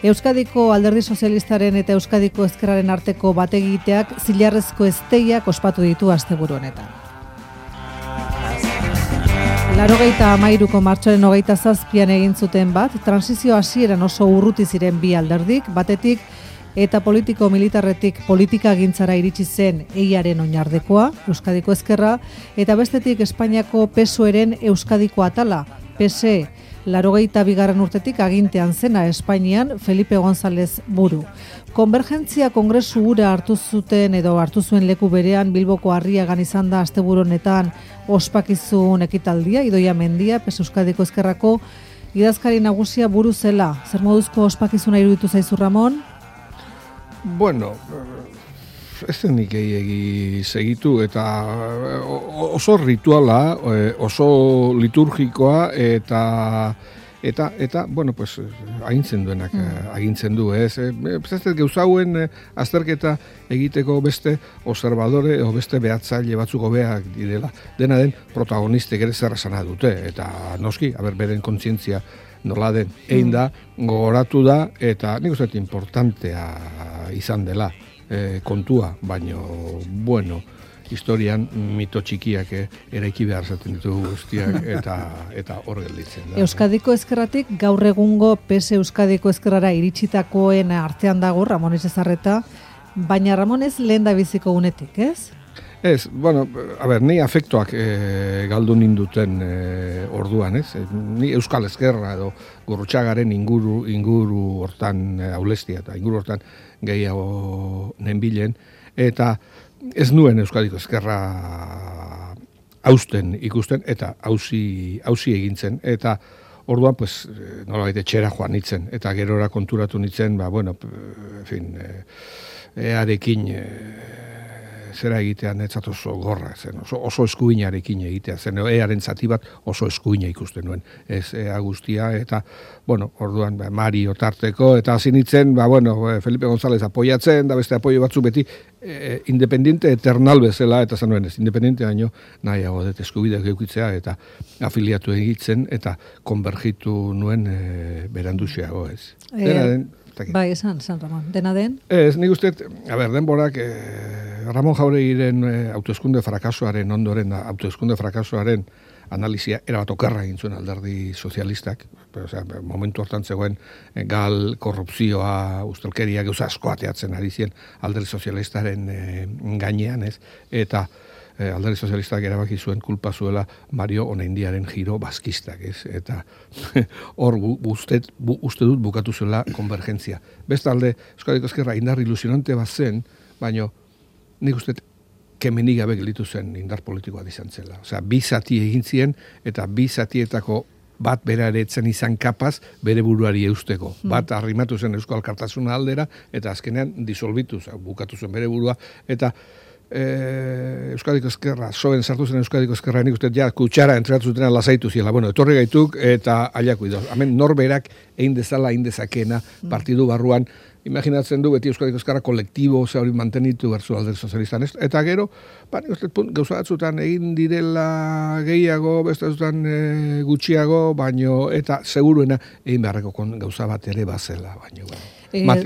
Euskadiko Alderdi Sozialistaren eta Euskadiko Ezkerraren arteko bategiteak zilarrezko ezteiak ospatu ditu asteburu honetan. 93ko martxoaren 27an egin zuten bat, transizio hasieran oso urruti ziren bi alderdik, batetik eta politiko militarretik politikagintzara iritsi zen EIaren oinardekoa, Euskadiko Ezkerra, eta bestetik Espainiako PSOEren Euskadiko atala, PSE, 92. urtetik agintean zena Espainian Felipe González buru. Konvergentzia kongresu hura hartu zuen leku berean Bilboko Harriagan izan da asteburu honetan ospakizun ekitaldia, Idoia Mendia, PSE Euskadiko Ezkerrako idazkari nagusia buru zela. Zer moduzko ospakizuna iruditu zaizu, Ramon? Bueno, ez nik egi segitu eta oso rituala, oso liturgikoa eta bueno, pues agintzen duenak agintzen du, ez? Ez gauza hauen azterketa egiteko beste observadore o beste behatzaile batzuk hobeak direla. Dena den protagonistek ere zer esana dute eta noski, beren kontzientzia nola den, egin da, gogoratu da, eta nik uste importantea izan dela kontua, baino, bueno, historian mito txikiak eraiki behar zaten ditugu guztiak eta hor gelditzen da. Euskadiko Ezkerratik gaur egungo PSE Euskadiko Ezkerrara iritsitakoen artean dago Ramon Etxezarreta, baina Ramon ez lehen da biziko unetik, ez? Ez, bueno, ni afektuak galdu ninduten orduan, ez? Ni Euskal Ezkerra edo Gurrutxagaren inguru hortan aulestia eta inguru hortan gehiago nenbilen, eta ez nuen Euskadiko Ezkerra hausten ikusten eta hausi egintzen, eta orduan, pues, nolabait etxera joan nitzen, eta gerora konturatu nitzen, bueno, en fin, earekin zera egitean etzat oso gorra, zen, oso eskuinarekin egitea, zen, earen zati bat oso eskuina ikusten nuen, ez ea guztia, eta, bueno, orduan, Mario tarteko, eta hasi nintzen, bueno, Felipe González apoiatzen, da beste apoio batzu beti, independiente eternal bezala, eta zen nuen ez, independiente baino, nahiago dut eskubideak eukitzea, eta afiliatu egitzen, eta konbergitu nuen beranduxeago, ez. Dena den, bai, esan, Ramon, dena den? Ez, nik uste, denborak, Ramon Jauregiren autoeskunde frakasoaren ondoren, autoeskunde frakasoaren analizia erabat okerra egin zuen Alderdi Sozialistak, momentu hortan zegoen gal, korrupzioa, ustelkeria, gauza asko ateatzen ari ziren Alderdi Sozialistaren gainean, ez? Eta Alderdi Sozialistak erabaki zuen kulpa zuela Mario Onaindiaren giro baskistak, ez? Eta hor uste dut bukatu zuela konvergentzia. Bestalde, Euskadiko Ezkerra indar ilusionante bat zen, baino nik uste kemenik gabe gelditu zen indar politikoa izan zela. Osea, bi zati egin ziren eta bi zatietako bat bera ere etzen izan kapaz bere buruari eusteko. Bat arrimatu zen Euskal Alkartasuna aldera eta azkenean disolbitu, bukatu zen bere burua, eta Euskadiko Ezkerra, soen sartu zen Euskadiko Ezkerra, nik uste kutsara entregatu zutena lasaitu ziela. Bueno, etorri gaituk eta ailaku idoz. Hemen norberak egin dezala, egin dezakena partidu barruan, imaginatzen du beti Euskadiko Ezkerra kolektibo hori mantenitu berzu Alderdi Sozialistan. Eta gero, nik uste gauza batzutan egin direla gehiago, beste batzutan gutxiago, baino, eta seguruena egin beharreko gauza bat ere bazela, baino.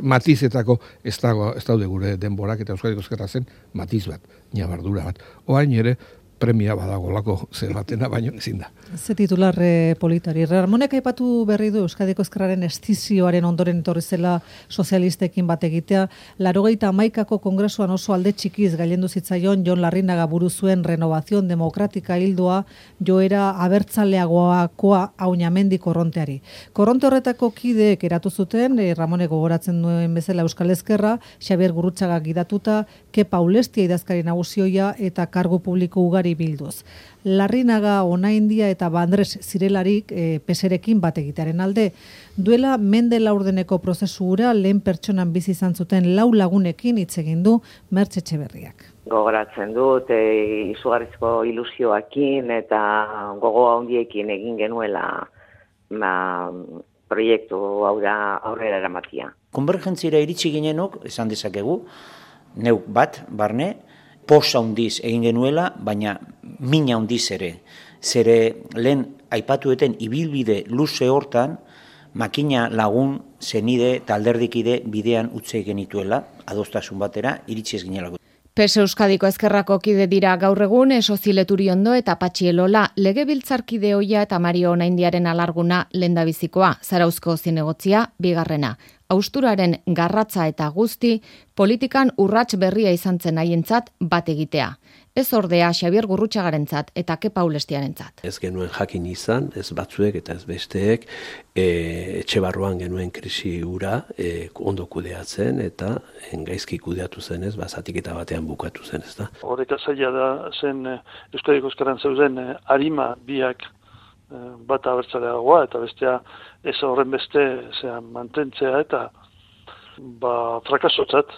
Matizetako ez daude gure denborak eta Euskadiko Ezkerra zen matiz bat, nabardura bat. Oain ere, premia badagolako zer batena, baino ezin da. Ze titular politari. Ramonek aipatu berri du Euskadiko Ezkerraren estizioaren ondoren etorri zela sozialistekin bat egitea. 91ko kongresuan oso alde txikiz gailendu zitzaion Jon Larrinaga buru zuen Renovación Demokratika hildoa joera abertzaleagoakoa Auñamendi korronteari. Korronte horretako kideek eratu zuten, Ramonek gogoratzen duen bezala Euskal Ezkerra, Xabier Gurrutxaga gidatuta, Kepa Ulestia idazkari nagusioia eta kargu publiko ugari bilduz. Larrinaga, Onaindia eta Bandres zirelarik peserekin bat egitearen alde. Duela mende laurdeneko prozesura lehen pertsonan bizi izan zuten 4 lagunekin hitz egin du Mertxe Etxeberriak. Gogoratzen dut, izugarrizko ilusioakin eta gogo handiekin egin genuela proiektu hau da aurrera eramatia. Konvergentziara iritsi ginenok, esan dezakegu, neuk bat, barne, posa handiz egin genuela, baina mina handiz ere. Zere lehen aipatueten ibilbide luze hortan, makina lagun zenide eta alderdikide bidean utzi genituela, adostasun batera, iritsi ez ginelako. PES Euskadiko Ezkerrako kide dira gaur egun Sozi Leturiondo eta Patxi Elola, legebiltzarkide ohia eta Mario Onaindiaren alarguna lehendabizikoa, Zarauzko zinegotzia bigarrena. Hausturaren garratza eta guzti, politikan urrats berria izan zen haientzat bat egitea. Ez ordea Xabier Gurrutxagarentzat eta Kepa Ulestiarentzat. Ez genuen jakin izan, ez batzuek eta ez besteek, etxe barruan genuen krisi hura ondo kudeatzen eta gaizki kudeatu zenez, zatiketa batean bukatu zen, ez da. Horreka zaila da zen Euskadiko Ezkerran zeuden arima biak bat abertzaleagoa eta bestea ez horren beste mantentzea eta frakasotzat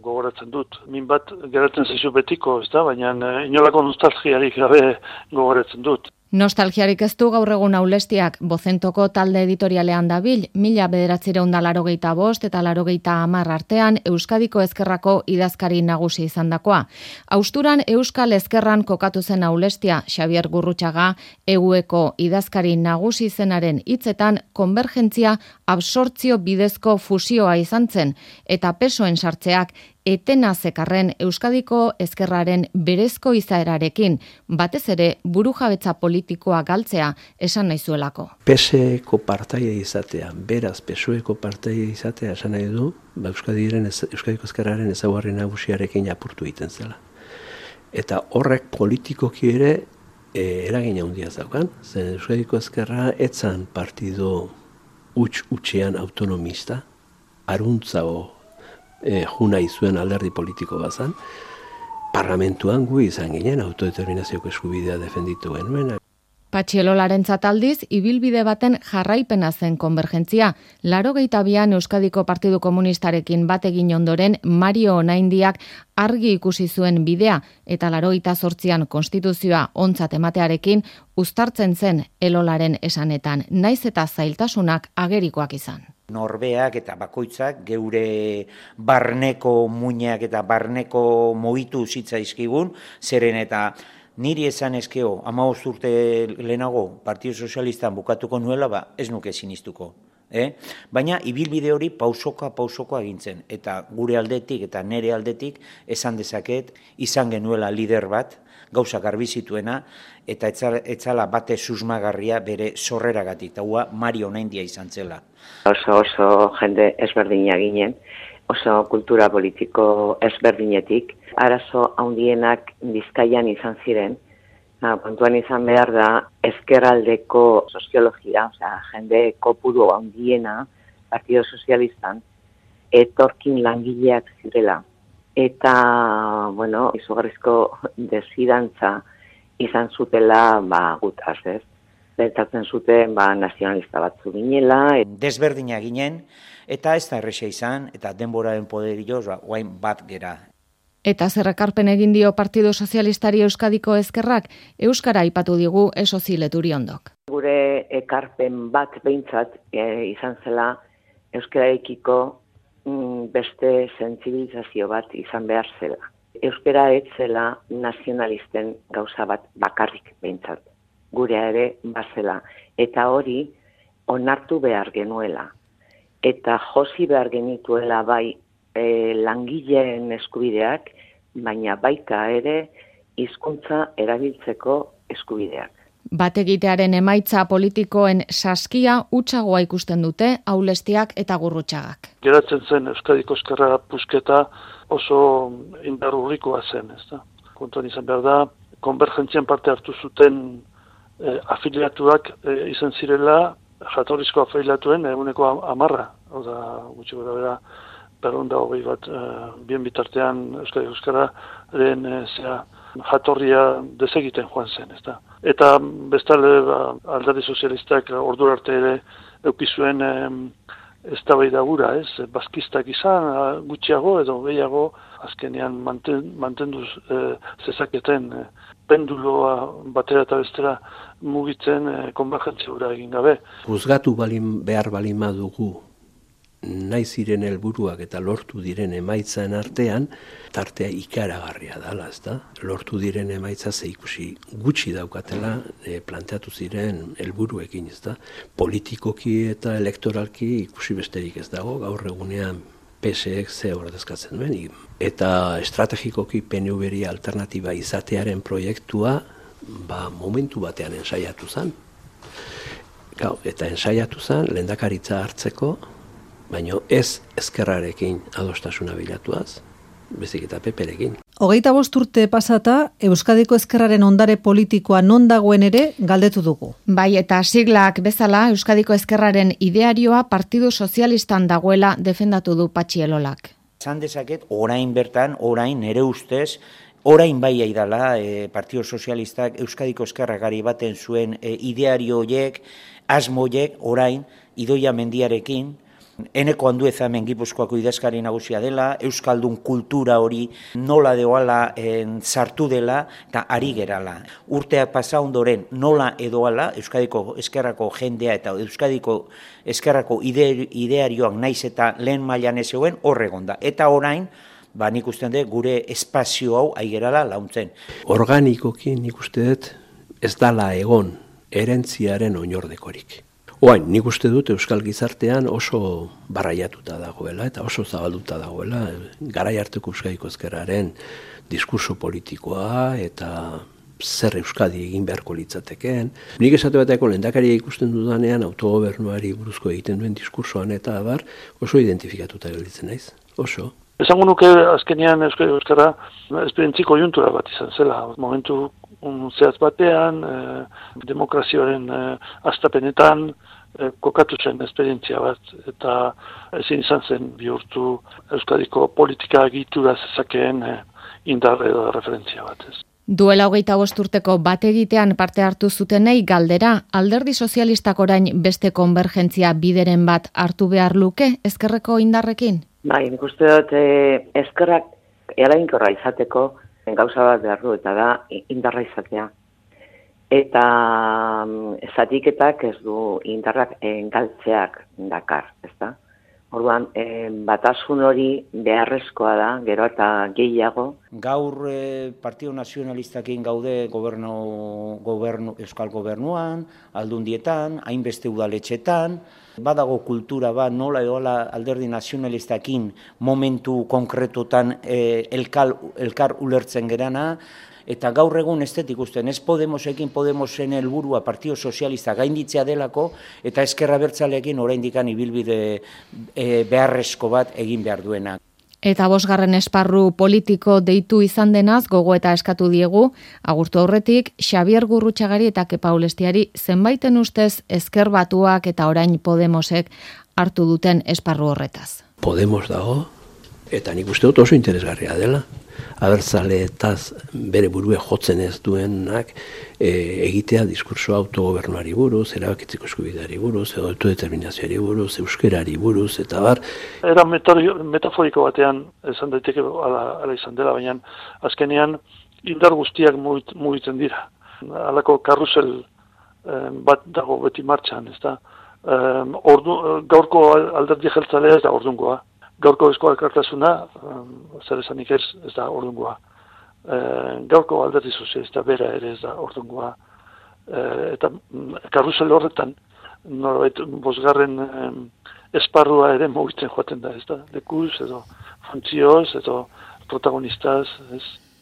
gogoratzen dut. Min bat geratzen zaizu betiko, ez da, baina inolako nostalgiarik gabe gogoratzen dut. Nostalgiarik ez du gaur egun Aulestiak, Bozentoko talde editorialean dabil, 1985 eta 1990 artean Euskadiko Ezkerrako idazkari nagusi izandakoa. Hausturan Euskal Ezkerran kokatu zen Aulestia, Xabier Gurrutxaga, EUeko idazkari nagusi zenaren hitzetan konbergentzia absortzio bidezko fusioa izan zen, eta pesoen sartzeak etena zekarren Euskadiko Ezkerraren berezko izaerarekin, batez ere burujabetza politikoa galtzea esan nahi zuelako. PSeko partaide izatea, beraz PSOeko partaide izatea esan nahi du, Euskadiko Ezkerraren ezaugarri nagusiarekin apurtu egiten zela. Eta horrek politikoki ere eragina handia zaukan, zen Euskadiko Ezkerra etzan partido utxean autonomista, aruntzago juna izuen alderdi politiko bazan, parlamentuan gu izan ginen autodeterminazioko eskubidea defenditu genuen. Patxi Elolarentzat aldiz, ibilbide baten jarraipena zen konbergentzia. 82an Euskadiko Partidu Komunistarekin bat egin ondoren Mario Onaindiak argi ikusi zuen bidea eta 88an konstituzioa ontzat ematearekin uztartzen zen Elolaren esanetan, naiz eta zailtasunak agerikoak izan. Norbeak eta bakoitzak geure barneko muinak eta barneko mohitu zitzaizkigun, zeren eta niri esan eskeo, 15 urte lehenago Partido Sozialistan bukatuko nuela, ez nuke sinistuko. Baina ibilbide hori pausoka egintzen, eta gure aldetik eta nere aldetik esan dezaket izan genuela lider bat, gauza garbi zituena, eta etzala bate susmagarria bere sorreragatik, eta Mario Onaindia izan zela. Oso jende ezberdina ginen, oso kultura politiko ezberdinetik, arazo handienak Bizkaian izan ziren, kontuan izan behar da ezkerraldeko soziologia, jende kopuru handiena Partido Sozialistan, etorkin langileak zirela. Eta, izugarrizko desfidantza izan zutela gutaz, ez? Bertatzen zuten nazionalista batzu ginela. Desberdina ginen, eta ez da erresa izan, eta denboraren poderioz, guain bat gera. Eta zerrekarpen egin dio Partido Sozialistari Euskadiko Ezkerrak, Euskara aipatu digu Sozi Leturiondok. Gure ekarpen bat behintzat izan zela euskararekiko beste sentsibilizazio bat izan behar zela. Euskara ez zela nazionalisten gauza bat bakarrik behintzat. Gurea ere bazela. Eta hori onartu behar genuela. Eta josi behar genituela bai langileen eskubideak, baina baita ere hizkuntza erabiltzeko eskubideak. Bat egitearen emaitza politikoen saskia utxagoa ikusten dute Aulestiak eta Gurrutxagak. Geratzen zen Euskadiko Ezkerra pusketa oso indarrurrikoa zen, ezta? Kontuan izan behar da, konbergentzian parte hartu zuten afiliatuak izan zirela, jatorrizko afiliatuen eguneko 10, oda gutxi gara bera, 220 bat, bien bitartean Euskadiko Ezkerraren jatorria desegiten joan zen, ezta? Eta bestalde alderdi sozialistak ordura arte ere eukizuen eztabaida gura, ez? Baskistak izan, gutxiago edo gehiago azkenean mantenduz zezaketen penduloa batera eta bestera mugitzen konvergentzia gura egin gabe. Juzgatu behar balin badugu nahi ziren helburuak eta lortu diren emaitzen artean, tartea ikaragarria dela, ezta? Lortu diren emaitza ikusi gutxi daukatela planteatu ziren helburuekin, ezta? Politikoki eta elektoralki ikusi besterik ez dago, gaur egunean PSek ze ordezkatzen duen. Eta estrategikoki PNV-ri alternatiba izatearen proiektua momentu batean ensaiatu zen. Eta ensaiatu zen lehendakaritza hartzeko, baina ez ezkerrarekin adostasuna bilatuaz, bezik eta PPrekin. 25 urte pasata, Euskadiko ezkerraren ondare politikoa non dagoen ere galdetu dugu. Bai, eta siglak bezala Euskadiko ezkerraren idearioa Partidu Sozialistan dagoela defendatu du Patxi Elolak. Zan dezaket, orain bertan, orain nere ustez, orain bai aidala, Partidu Sozialistak Euskadiko ezkerragari baten zuen ideario horiek, asmoiek, orain, Idoia Mendiarekin, Eneko Andueza hemen Gipuzkoako idazkari nagusia dela, Euskaldun kultura hori nola deoala sartu dela eta ari gerala. Urteak pasa ondoren nola edoala Euskadiko ezkerrako jendea eta Euskadiko ezkerrako idearioak naiz eta lehen mailan ez zegoen horregon da. Eta orain, nik uste dut gure espazio hau aigerala launtzen. Organikoki nik uste dut ez dala egon erentziaren oinordekorik. Oain, nik uste dut Euskal Gizartean oso barraiatuta dagoela eta oso zabalduta dagoela garai harteko Euskadiko ezkerraren diskurso politikoa eta zer Euskadi egin beharko litzatekeen. Nik esate bateko lehendakaria ikusten dudanean autogobernuari buruzko egiten duen diskursoan eta abar oso identifikatuta gelditzen naiz. Oso. Esango nuke azkenean Euskara esperientziko juntura bat izan zela. Momentu zehatz batean, demokrazioaren hastapenetan kokatu zen esperientzia bat, eta ezin izan zen bihurtu Euskadiko politika egitura zezakeen indar edo referentzia bat. Duela 25 urteko bat egitean parte hartu zutenei galdera, Alderdi Sozialistak orain beste konvergentzia bideren bat hartu behar luke ezkerreko indarrekin? Bai, nik uste dut ezkerrak eraginkorra izateko gauza bat behar du, eta da indarra izatea. Eta zatiketak ez du indarrak galtzeak dakar, ezta? Orduan, batasun hori beharrezkoa da, gero eta gehiago. Gaur Partido Nazionalistakin gaude Euskal Gobernuan, Aldundietan, hainbeste udaletxetan, badago kultura bat nola edola Alderdi Nazionalistakin momentu konkretutan elkar ulertzen gerana, eta gaur egun estetik usten, ez Podemosen helburua Partido Sozialista gainditzea delako, eta ezkerra bertzaleekin oraindikan ibilbide beharrezko bat egin behar duena. Eta 5. esparru politiko deitu izan denaz gogo eta eskatu diegu, agurtu aurretik Xabier Gurrutxagari eta Kepa Ulestiari zenbaiten ustez ezker batuak eta orain Podemosek hartu duten esparru horretaz. Podemos dago, eta nik uste dut oso interesgarria dela. Abertzaleetaz bere burue jotzen ez duenak egitea diskurso autogobernuari buruz, erabakitzeko eskubideari buruz, edo autodeterminazioari buruz, euskerari buruz, eta bar. Era metaforiko batean esan daiteke ala izan dela, baina azkenean indar guztiak mugitzen dira. Halako karrusel bat dago beti martxan, ezta? Gaurko alderdi jeltzalea ez da ordungoa. Gaurko Eusko Alkartasuna, zer esanik ez da ordungoa. Gaurko Alderdi Sozialista bera ere ez da ordungoa. Eta karrusel horretan, norbait 5. esparrua ere mugitzen joaten da, ez da? Lekuz, edo funtzioz, edo protagonistaz, ez?